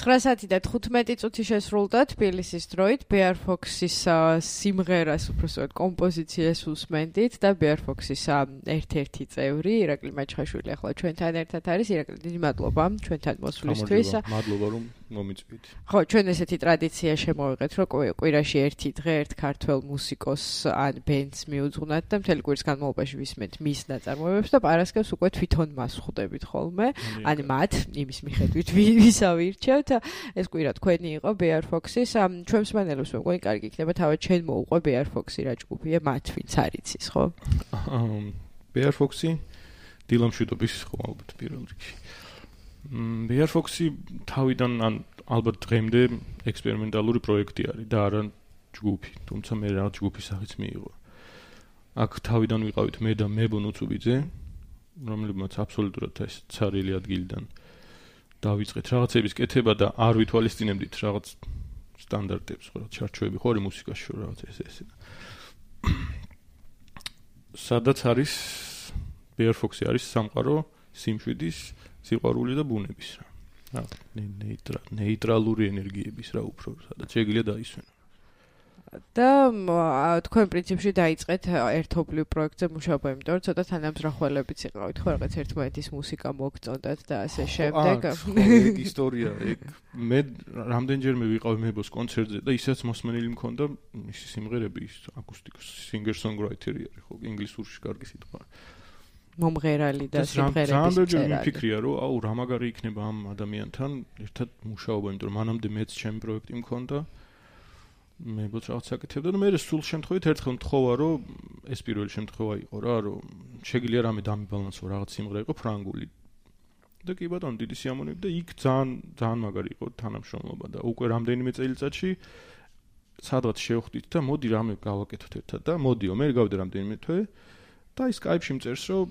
9:15 წუთი შესრულდა თბილისის დროით Bear Fox-ის სიმღერას უბრალოდ კომპოზიციას უსმენდით და Bear Fox-ის ერთ-ერთი წევრი ირაკლი მაჩხაშვილი ახლა ჩვენთან ერთად არის. ირაკლი, დიდი მადლობა ჩვენთან მოსვლისთვის. მადლობა რომ მომიწვით. ხო, ჩვენ ესეთი ტრადიცია შემოვიღეთ, რომ კვირაში ერთი დღე ერთ ქართველ მუსიკოსს ან ბენდს მიუძღვნათ და მთელი კვირის განმავლობაში ვისმენთ მის ნაწარმოებებს და პარასკევს უკვე თვითონ მას ხვდებით ხოლმე. ან მათ იმის მიხედვით ვისა ვირჩევთ. ეს კვირა თქვენი იყო Bear Fox-ის. ჩვენ მსმენელებს მეგონი კარგი იქნება თავად ჩვენ მოუყვე Bear Fox-ი რა ჯგუფია, მათ ვინც არის ის, ხო? Bear Fox-ი დილამშვიდობის ხო ალბათ პირველ რიგში. Bear Fox-ი თავიდან ან ალბათ დღემდე ექსპერიმენტალური პროექტი არის და არა ჯგუფი, თუმცა მე რა ჯგუფის სახეც მიიღო. აქ თავიდან ვიყავით მე და მებო ნუცუბიძე, რომელმაც აბსოლუტურად ეს ცარიელი ადგილიდან დავიწყეთ რაღაცების კეთება და არ ვითვალისწინებდით რაღაც სტანდარტებს, ხო, ჩარჩოები ხო არის მუსიკაში შო რაღაც ეს. სადაც არის Bear Fox-ი არის სამყარო სიმშვიდის, სიყვარული და ბუნების რა. ნეიტრალური ენერგიების რა უფრო, სადაც შეგიძლია დაისვენო. და თქვენ პრინციპში დაიწყეთ ერთობლივ პროექტზე მუშაობა, იმიტომ რომ ცოტა თანამზრახველებიც იყავით, ხო, რაღაც ერთმანეთის მუსიკა მოგწონდათ და ასე შემდეგ. ეგ ისტორია, ეგ მე რამდენჯერმე ვიყავ მებოს კონცერტზე და ისაც მოსმენილი მქონდა მისი სიმღერები, ის აკუსტიკოს singer-songwriter-ი არის, ხო, ინგლისურში კარგი სიტყვა. მომღერალი და სიმღერების წერალი. რამდენჯერ მიფიქრია, რომ აუ რა მაგარი იქნება ამ ადამიანთან ერთად მუშაობა, იმიტომ რომ მანამდე მეც ჩემი პროექტი მქონდა. მე ბოც რაღაც საკეთებდა და მე სულ შემთხვევით ერთხელ მთხოვა რომ ეს პირველი შემთხვევა იყო რა რომ შეგვიძლია რამე დამიბალანსო რაღაც სიმღერა იყო ფრანგული და კი ბატონო დიდი სიამოვნებით და იქ ძალიან მაგარი იყო თანამშრომლობა და უკვე რამდენიმე წელიწადში სადღაც შევხვდით და მოდი რამე გავაკეთოთ ერთად და მოდიო მე გავდე რამდენიმე თვე და ის Skype-ში მწერს რომ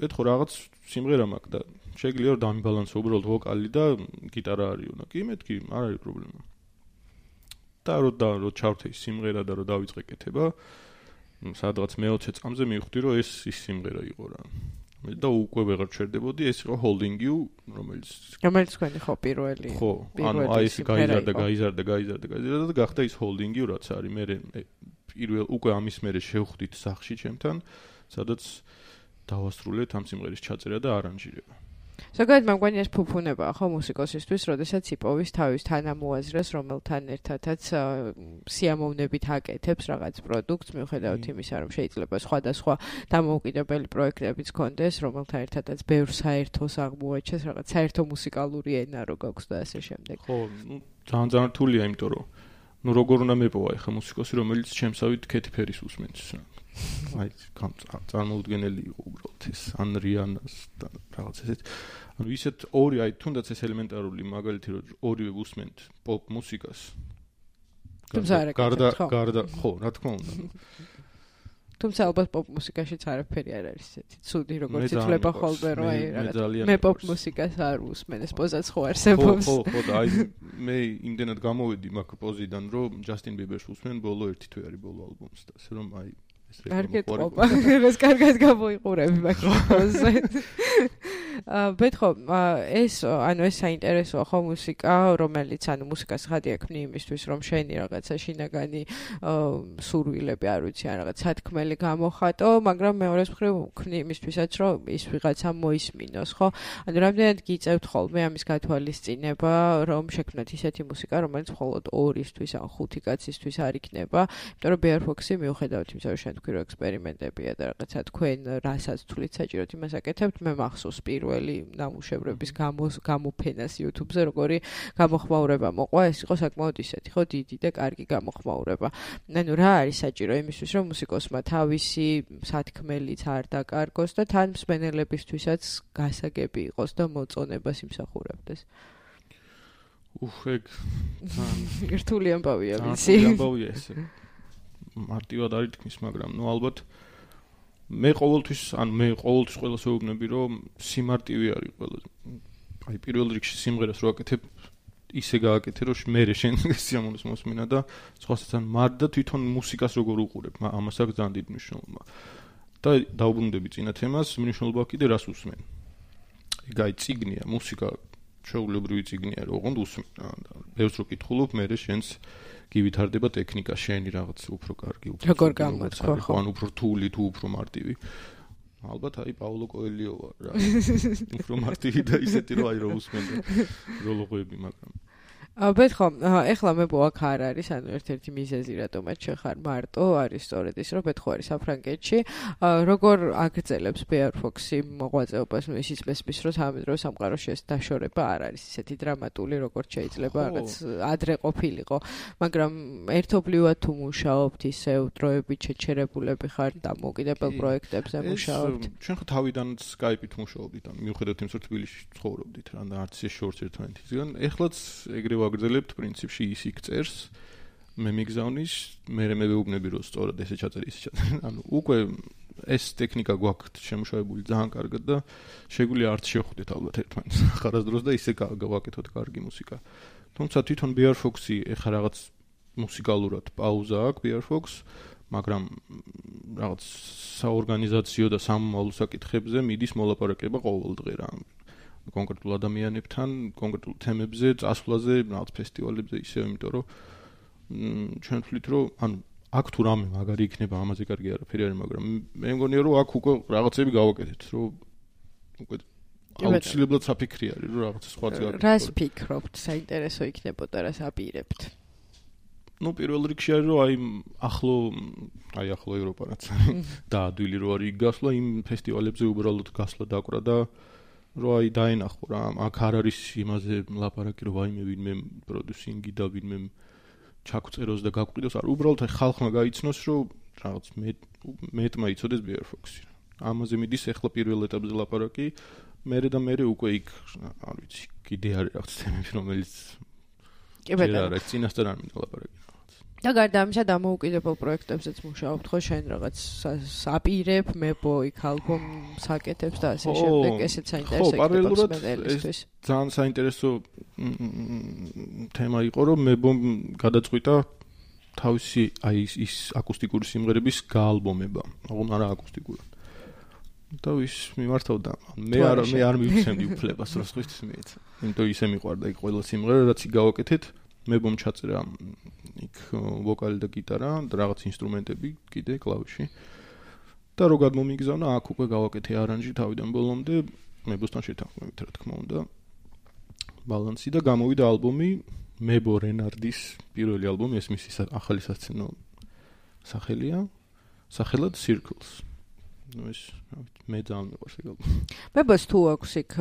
ეთქო რაღაც სიმღერა მაქვს და შეგვიძლია რომ დამიბალანსო უბრალოდ ვოკალი და გიტარა არისო და კი მეთქი არ არის პრობლემა და რო ჩავრთე ის სიმღერა და რო დავიწყე კეთება სადღაც მე-20 წამზე მივხვდი რომ ეს ის სიმღერა იყო რა და უკვე ვეღარ ჩერდებოდი ეს იყო Holding You რომელიც თქვენი ხო პირველი ხო ანუ აი ეს გაიზარდა და გახდა ის Holding You რაც არის მე პირველ უკვე ამის მერე შევხვდით სახში ჩემთან სადაც დავასრულეთ ამ სიმღერის ჩაწერა და არანჟირება ზოგადად მგონი ეს ფუფუნებაა ხო მუსიკოსისთვის, როდესაც იპოვის თავის თანამოაზრეს, რომელთან ერთადაც სიამოვნებით აკეთებს რაღაც პროდუქტს, მიუხედავად იმისა, რომ შეიძლება სხვადასხვა დამოუკიდებელი პროექტებიც ქონდეს, რომელთან ერთადაც ბევრ საერთოს აღმოაჩენს, რაღაც საერთო მუსიკალური ენა რო გაქვს და ასე შემდეგ. ხო, ძალიან რთულია, იმიტომ რომ როგორ უნდა მეპოვა ეხა მუსიკოსი, რომელიც ჩემსავით Katy Perry-ს უსმენს. აი, წარმოუდგენელი იყო უბრალოდ ეს Rihanna-ს და რაღაც ესეთ. ანუ ისეთ ორი აი თუნდაც ეს ელემენტარული მაგალითი რომ ორივე უსმენთ პოპ მუსიკას. გარდა ხო, რა თქმა უნდა. თუმცა ალბათ პოპ მუსიკაშიც არაფერი არ არის ესეთი ცუდი როგორც ითვლება ხოლმე რომ აი რაღაც მე პოპ მუსიკას არ უსმენ ეს პოზაც ხო არსებობს. ხო, აი მე იმდენად გამოვედი მაგ პოზიდან რომ Justin Bieber-ს უსმენ ბოლო ერთი თვე არის ბოლო ალბომს და ასე რომ აი კარგად ყოფა, ეს კარგად გამოიყურები მაგაზე. ბეთქო, ეს საინტერესოა ხო მუსიკა, რომელიც ანუ მუსიკას ხადი აქვს იმისთვის, რომ შენი რაღაცა შინაგანი სურვილები არ ვიცი, ან რაღაც სათქმელი გამოხატო, მაგრამ მეორეს მხრივ ქმნი იმისთვისაც, რომ ის ვიღაცა მოისმინოს, ხო? ანუ რამდენად გიწევთ ხოლმე ამის გათვალისწინება, რომ შექმნათ ისეთი მუსიკა, რომელიც მხოლოდ ორისთვის ან ხუთი კაცისთვის არ იქნება, იმიტომ რომ Bear Fox-ი მიუხედავად იმისა, რომ შენ თქვი რომ ექსპერიმენტებია და რაღაცა თქვენ რასაც თვლით საჭიროდ იმას აკეთებთ, მე მახსოვს პირველი ნამუშევრების გამოფენას YouTube-ზე როგორი გამოხმაურება მოყვა, ეს იყო საკმაოდ ისეთი, ხო, დიდი და კარგი გამოხმაურება. ანუ რა არის საჭირო იმისთვის, რომ მუსიკოსმა თავისი სათქმელიც არ დაკარგოს და თან მსმენელებისთვისაც გასაგები იყოს და მოწონებას იმსახურებდეს. ეგ რთული ამბავია ვიცი. რთული ამბავია ესე. მარტივად არ ითქმის, მაგრამ ნუ ალბათ მე ყოველთვის ყველას ვეუბნები, რომ სიმარტივე არის ყველაზე. აი პირველ რიგში სიმღერას რო აკეთებ, ისე გააკეთე, რომ მე შენ სიამოვნებას მოსმინა და სხვასთან მარ და თვითონ მუსიკას როგორ უყურებ, ამას აქვს ძალიან დიდი მნიშვნელობა. და დაუბრუნდები წინა თემას, მნიშვნელობა კიდე რას უსმენ. ეგ აი წიგნია, მუსიკა შეულებრივი ციგნია, ოღონდ უსმენ. ბევრს რო კითხულობ, მე შენს გივითარდება ტექნიკა, შენი რაღაც უფრო კარგი, როგორ გამოცხო, ხო? ან უფრო რთული თუ უფრო მარტივი. ალბათ აი პაულო კოელიო ვარ რა. უფრო მარტივი და ისეთი რომ აი რო უსმენდა როლოღები, მაგრამ ბეთქო, ეხლა მე აქ არ არის, ანუ ერთ-ერთი მიზეზი რატომაც შეხარ მარტო არის სწორედ ის, რომ ბეთქო არის საფრანგეთში. როგორ აგრძელებს Bear Fox-ი მოღვაწეობას, ну ისიც მესმის, რომ სამედრო სამყაროში ეს დაშორება არ არის ისეთი დრამატული, როგორც შეიძლება რაღაც ადრე ყოფილიყო, მაგრამ ერთობლივად თუ მუშაობთ, ისევ დროებით შეჩერებულები ხართ და მოკიდებელ პროექტებზე მუშაობთ. ჩვენ ხო თავიდან Skype-ით მუშაობდით, ანუ მიუხედავად იმისა, რომ თბილისში ცხოვრობდით, რა და არც ეს შორს ერთმანეთისგან, ეხლაც ეგრევე ვაგრძელებთ პრინციპში ის იქ წერს მე მიგზავნის მე მეუბნები რომ სწორად ესე ჩაწერე ანუ უკვე ეს ტექნიკა გვაქვთ შემუშავებული ძალიან კარგად და შეგვიძლია არც შევხვდეთ ალბათ ერთმანეთს ხარასდროს და ისე გავაკეთოთ კარგი მუსიკა თუმცა თვითონ Bear Fox-ი ეხა რაღაც მუსიკალურად პაუზა აქვს Bear Fox მაგრამ რაღაც საორგანიზაციო და სამომავლო საკითხებზე მიდის მოლაპარაკება ყოველდღე რა კონკრეტულ ადამიანებთან, კონკრეტულ თემებზე, წასვლაზე, რაღაც ფესტივალებზე ისევ, იმიტომ რომ ჩვენ ვთვლით, რომ ანუ აქ თუ რამე მაგარი იქნება, ამაზე კარგი არაფერი არის, მაგრამ მე მგონია, რომ აქ უკვე რაღაცები გავაკეთეთ, რომ უკვე აუცილებლად საფიქრი არის, რომ რაღაც სხვა წარ. რას ფიქრობთ, საინტერესო იქნებოდა, რას აპირებთ? ну პირველ რიგში არის რომ ახლო ევროპა რაც დაადვილი რო არის გასვლა იმ ფესტივალებზე უბრალოდ გასვლა დაკვრა და რო დაენახო რა აქ არ არის იმაზე ლაპარაკი რომ ვაიმე ვინმე პროდიუსინგი და ვინმე ჩაგვწეროს და გაგვყიდოს არ უბრალოდ ხალხმა გაიცნოს რომ რაღაც მეტმა იცოდეს Bear Fox-ი ამაზე მიდის ახლა პირველ ეტაპზე ლაპარაკი მერე და მერე უკვე იქ არ ვიცი კიდე არის რაღაც თემები რომელიც კი ბატონო რა წინასწარ არ მინდა ლაპარაკი და გარდა ამისა დამოუკიდებელ პროექტებზეც მუშაობთ ხო შენ რაღაც აპირებ მებო იქ ალბომ საკეთებს და ასე შემდეგ ესეც საინტერესო იქნება სპეციალისტვის ძალიან საინტერესო თემა იყო რომ მებომ გადაწყვიტა თავისი აი ის აკუსტიკური სიმღერების გაალბომება ოღონდ არა აკუსტიკური და ვის მიმართავდა მე არ მივცემდი უფლებას რომ სხვისთვის მიეცა იმიტომ ისე მიყვარდა იქ ყველა სიმღერა რაც გავაკეთეთ მებომ ჩაწერა იქ ვოკალი და გიტარა და რაღაც ინსტრუმენტები კიდე კლავიში და რო გადმომიგზავნა აქ უკვე გავაკეთე არანჟი თავიდან ბოლომდე მებოსთან შეთანხმებით რა თქმა უნდა ბალანსი და გამოვიდა ალბომი მებო რენარდის პირველი ალბომი ეს მისი ახალი სასცენო სახელია სახელად Circles ну ეს მე ძალიან მიყვარს ეგ ალბომი მებოს თუ აქვს იქ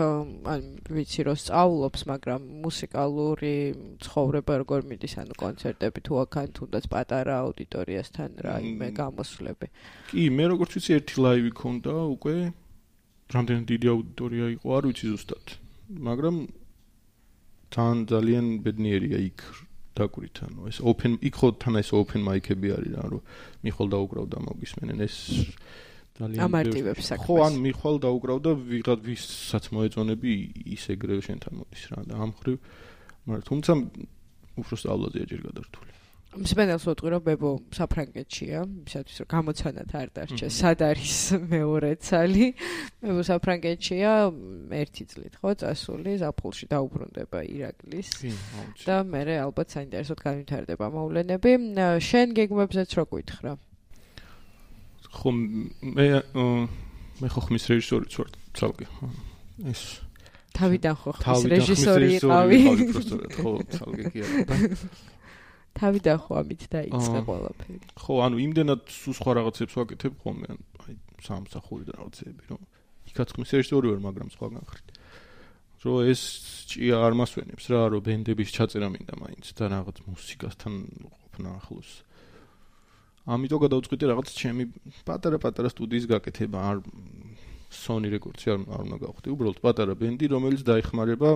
ან ვიცი რომ სწავლობს მაგრამ მუსიკალური ცხოვრება როგორ მიდის ანუ კონცერტები თუ აქ თუნდაც პატარა აუდიტორიასთან რაიმე გამოსვლები კი მე როგორც ვიცი ერთი ლაივი ქონდა უკვე რამდენი დიდი აუდიტორია იყო არ ვიცი ზუსტად მაგრამ ძალიან ბედნიერია იქ დაკვირით ანუ ეს open იქ ხო თან ეს open mic-ები არის რა რომ მიხვალ დაუკრავდა მოგისმენენ ეს ამარტივებს საქმეს. ხო, ან მიხვალ დაუკრავდა ვიღაც ვისაც მოეწონები ის ეგრევე შენთან მოდის რა და ამ ხრივ, მაგრამ თუმცა უფრო სწავლაზეა ჯერ გადართული. მსმენელს ვიტყვი რომ ბებო საფრანგეთშია, ისათვის რომ გამოცანად არ დარჩა, სად არის მეორე ცალი. ბებო საფრანგეთშია, ერთი წლით ხო, წასული, ზაფხულში დაუბრუნდება ირაკლის. და მე ალბათ საინტერესოდ განვითარდება მოვლენები. შენ გეგმებზეც რო გითხრა. ხო მე ხო ხმის რეჟისორიც ვარ ცალკე ეს თავიდან ხო ხმის რეჟისორი იყავი ხო ცალკე კი არა თავიდან ხო ამით დაიწყე ყველაფერი ხო ანუ იმდენად სულ სხვა რაღაცებს ვაკეთებ ხოლმე აი სამსახური და რაღაცები რომ იქაც ხმის რეჟისორი ვარ მაგრამ სხვა განხრით რომ ეს ჭია არ მასვენებს რა რომ ბენდების ჩაწერა მინდა მაინც და რაღაც მუსიკასთან ყოფნა ახლოს ამიტომ გადავწყვიტე რაღაც ჩემი პატარა სტუდიის გაკეთება არ Sony Records-ი არ უნდა გავხდი უბრალოდ პატარა ბენდი რომელიც დაიხმარება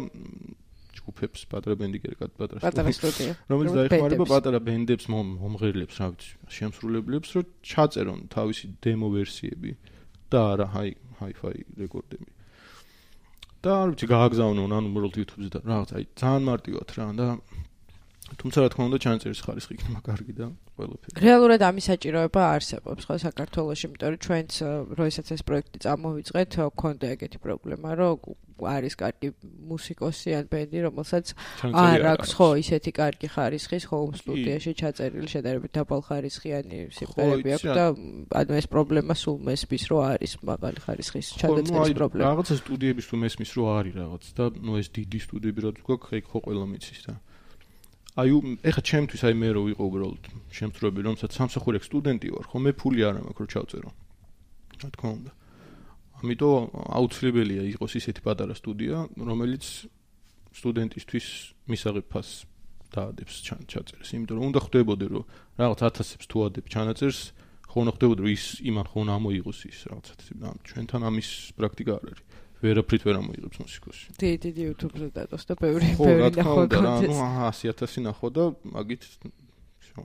ჯგუფებს პატარა ბენდი კერკად პატარა სტუდია რომელიც დაიხმარება პატარა ბენდებს მომღერლებს რა ვიცი შემსრულებლებს რომ ჩაწერონ თავისი დემო ვერსიები და არა hi-fi რეკორდები და არ ვიცი გააგზავნონ ანუ უბრალოდ YouTube-ზე და რაღაც აი ძალიან მარტივად რა და თუმცა რა თქმა უნდა ჩანაწერის ხარისხი იქნება კარგი და ყველაფერი. რეალურად ამის საჭიროება არსებობს ხო საქართველოში, იმიტომ რომ ჩვენც როდესაც ეს პროექტი წამოვიწყეთ, გქონდა ეგეთი პრობლემა, რომ არის კარგი მუსიკოსი ან ბენდი, რომელსაც არ აქვს ხო ისეთი კარგი ხარისხის home სტუდიაში ჩაწერილი შედარებით დაბალ ხარისხიანი სიმღერები აქვს და ანუ ეს პრობლემა სულ მესმის რომ არის მაღალი ხარისხის ჩაწერის პრობლემა. რაღაცა სტუდიების თუ მესმის რომ არის რაღაც და ნუ ეს დიდი სტუდიები რაც გვაქვს, ეგ ხო ყველა მიცის და აი ეხა ჩემთვის აი მე რო ვიყო უბრალოდ შემსწროები რომელსაც სამსახური აქვს სტუდენტი ვარ ხო მე ფული არ მაქვს რომ ჩავწერო რა თქმა უნდა ამიტომ აუცილებელია იყოს ისეთი პატარა სტუდია რომელიც სტუდენტისთვის მისაღებ ფასს დაადებს ჩაწერს იმიტომ რომ უნდა ხვდებოდე რომ რაღაც 1000-ებს თუ ადებ ჩანაწერს ხო უნდა ხვდებოდე რომ ის იმან ხო უნდა მოიღოს ის რაღაცა ჩვენთან ამის პრაქტიკა არ არის ვერაფრით ვერ ამოიღებს მუსიკოსი. დიდი YouTube-ზე დადოს და ბევრი ნახო და ანუ 100,000 ნახო და მაგით всё.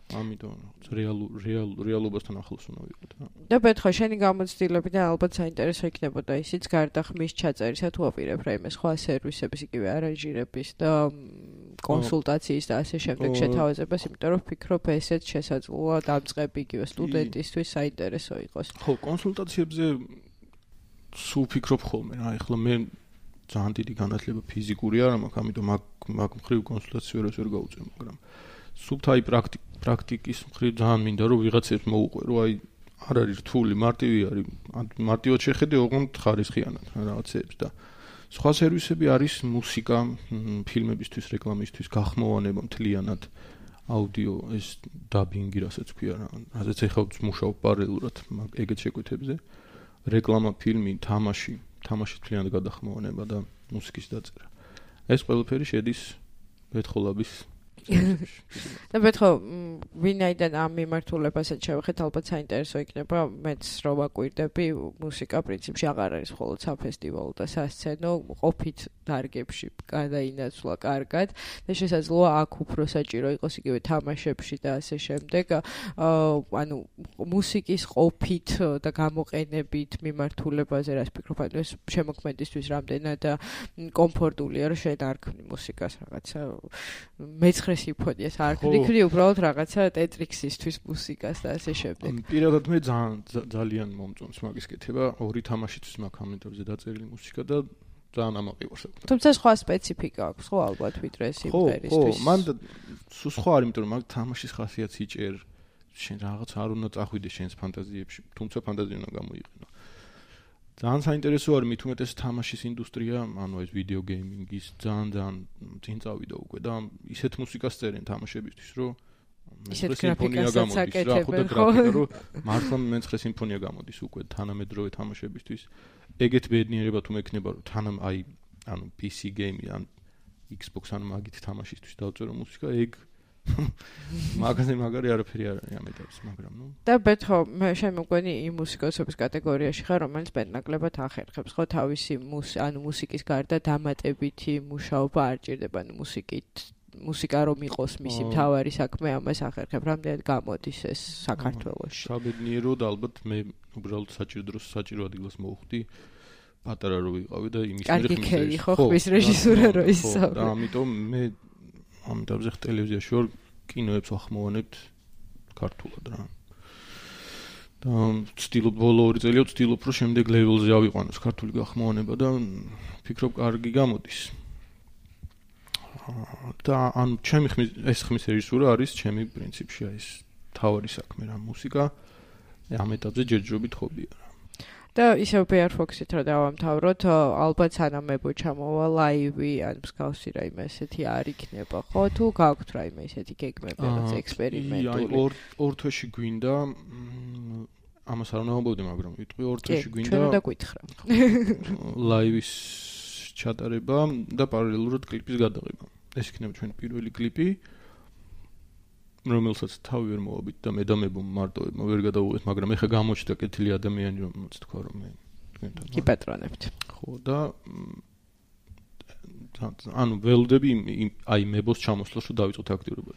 ამიტომ რეალობასთან ახლოს უნდა ვიყოთ რა. და ბეთხო შენი გამოცდილები და ალბათ საინტერესო იქნებოდა ისიც გარდა ხმის ჩაწერისა თუ აპირებ რაიმე სხვა სერვისების იგივე არანჟირების და კონსულტაციის და ასე შემდეგ შეთავაზებას, იმიტომ რომ ვფიქრობ ესეც შესაძლოა დამწყები იგივე სტუდენტისთვის საინტერესო იყოს. ხო, კონსულტაციებზე სულ ფიქრობ ხოლმე რა ეხლა მე ძალიან დიდი განათლება ფიზიკური არ მაქვს ამიტომ მაგ მხრივ კონსულტაციას ვერ გავუწევ მაგრამ სულთ აი პრაქტიკის მხრივ ძალიან მინდა რომ ვიღაცებს მოუყვე რომ აი არ არის რთული მარტივი არის მარტივად შეხედე ოღონდ ხარისხიანად რაღაცებს და სხვა სერვისები არის მუსიკა ფილმებისთვის რეკლამისთვის გახმოვანება მთლიანად აუდიო ეს დაბინგი რასაც ქვია რა რაზეც ეხლა მუშაობ პარალელურად ეგეთ შეკვეთებზე რეკლამა, ფილმი, თამაში მთლიანად გადახმოვანება და მუსიკის დაწერა. ეს ყველაფერი შედის ბეთხოლაბის და ბეთხო ვინაიდან ამ მიმართულებასაც შევეხეთ ალბათ საინტერესო იქნება მეც რო ვაკვირდები მუსიკა პრინციპში აღარ არის მხოლოდ საფესტივალო და სასცენო ყოფით დარგებში გადაინაცვლა კარგად და შესაძლოა აქ უფრო საჭირო იყოს იგივე თამაშებში და ასე შემდეგ ანუ მუსიკის ყოფით და გამოყენებით მიმართულებაზე რას ფიქრობ ანუ ეს შემოქმედისთვის რამდენად კომფორტულია რომ შენ არ ქმნი მუსიკას რაღაცა მეცხრე სიმფონიას არ ვიქნი უბრალოდ რაღაცა ტეტრიქსისთვის მუსიკას და ასე შემდეგ. პირადად მე ძალიან მომწონს მაგის კეთება, ორი თამაშისთვის მაქვს ამენტორზე დაწერილი მუსიკა და ძალიან ამაყივარს. თუმცა სხვა სპეციფიკა აქვს ხო ალბათ ვიდრე სიმღერისთვის. ხო, მან სულ სხვა არის, იმიტომ რომ მაგ თამაშის ხასიათი იჭერ, შენ რაღაც არ უნდა წახვიდე შენს ფანტაზიებში, თუმცა ფანტაზია უნდა გამოიყენო. ძალიან საინტერესო არის მით უმეტეს თამაშის ინდუსტრია, ანუ ეს ვიდეო გეიმინგის ძალიან წინ წავიდა უკვე და ისეთ მუსიკას წერენ თამაშებისთვის, რომ ისეთ გრაფიკასაც აკეთებენ ხო? რომ მართლა მეცხრე სიმფონია გამოდის უკვე თანამედროვე თამაშებისთვის. ეგეთ ბედნიერება თუ მექნება, რომ თანამ აი ანუ PC game ან Xbox ან მაგით თამაშისთვის დავწერო მუსიკა, ეგ მაგარი არაფერი არ არის ამ ეტაპზე, მაგრამ ნუ და ბეთხო მე შემოგვენი იმ მუსიკოსების კატეგორიაში ხარ, რომელიც მეტნაკლებად ახერხებს ხო თავისი ანუ მუსიკის გარდა დამატებითი მუშაობა არ ჭირდება, ანუ მუსიკა რომ იყოს მისი მთავარი საქმე, ამას ახერხებ, რამდენად გამოდის ეს საქართველოში. საბედნიეროდ ალბათ მე უბრალოდ საჭირო ადგილას მოვხვდი პატარა რო ვიყავი და იმის კარგი ქერი ხო ხმის რეჟისურა რო ისწავლე. და ამიტომ მე ამიტომ ზეხ ტელევიზიაში ვარ კინოებს ახმოვანებთ ქართულად რა. და ვცდილობ ბოლო 2 წელია ვცდილობ რომ შემდეგ ლეველზე ავიყვანოს ქართული გახმოვანება და ფიქრობ კარგი გამოდის. და ან ჩემი ხმის რეჟისურა არის ჩემი პრინციპში ეს თავარი საქმე რა მუსიკა ამ ეტაპზე ჯერჯერობით ხობია რა. და ისევ Bear Fox-ით რა დავამთავროთ, ალბათ სანამებო ჩამოვა ლაივი, ან მსგავსი რაიმე ესეთი არ იქნება, ხო? თუ გაქვთ რაიმე ესეთი გეგმები, რაღაც ექსპერიმენტული. აი, ორ თვეში გვინდა ამას არ უნდა ვამბობდი, მაგრამ ვიტყვი ორ თვეში გვინდა. ჩვენ უნდა გვითხრა. ლაივის ჩატარება და პარალელურად კლიპის გადაღება. ეს იქნება ჩვენი პირველი კლიპი. რომელსაც თავი ვერ მოვაბით და მე და მე მარტოებმა ვერ გადავუღეთ, მაგრამ ეხა გამოჩნდა კეთილი ადამიანი, რომელსაც თქვა რომ მე თქვენთან გიპატრონებთ. ხო და ანუ ველოდები აი მებოს ჩამოსვლას რომ დავიწყოთ აქტიურობა.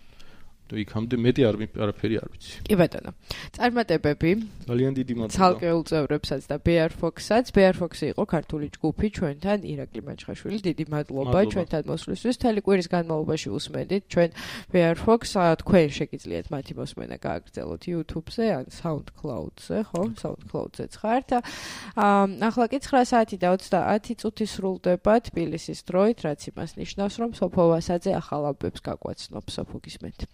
და იქამდე მეტი არაფერი არ ვიცი. კი ბატონო. წარმატებები. ძალიან დიდი მადლობა. ცალკეულ წევრებსაც და Bear Fox-საც. Bear Fox-ი იყო ქართული ჯგუფი ჩვენთან, ირაკლი მაჩხაშვილი. დიდი მადლობა ჩვენთან მოსვლისთვის. მთელი კვირის განმავლობაში უსმენდით ჩვენ Bear Fox. თქვენ შეგიძლიათ მათი მოსმენა გააგრძელოთ YouTube-ზე ან SoundCloud-ზე, ხო? SoundCloud-ზეც ხართ. ახლა კი 9 საათი და 30 წუთი სრულდება თბილისის დროით, რაც იმას ნიშნავს, რომ სოფო ვასაძე ახალ ამბებს გაგვაცნობს. სოფო გისმენთ.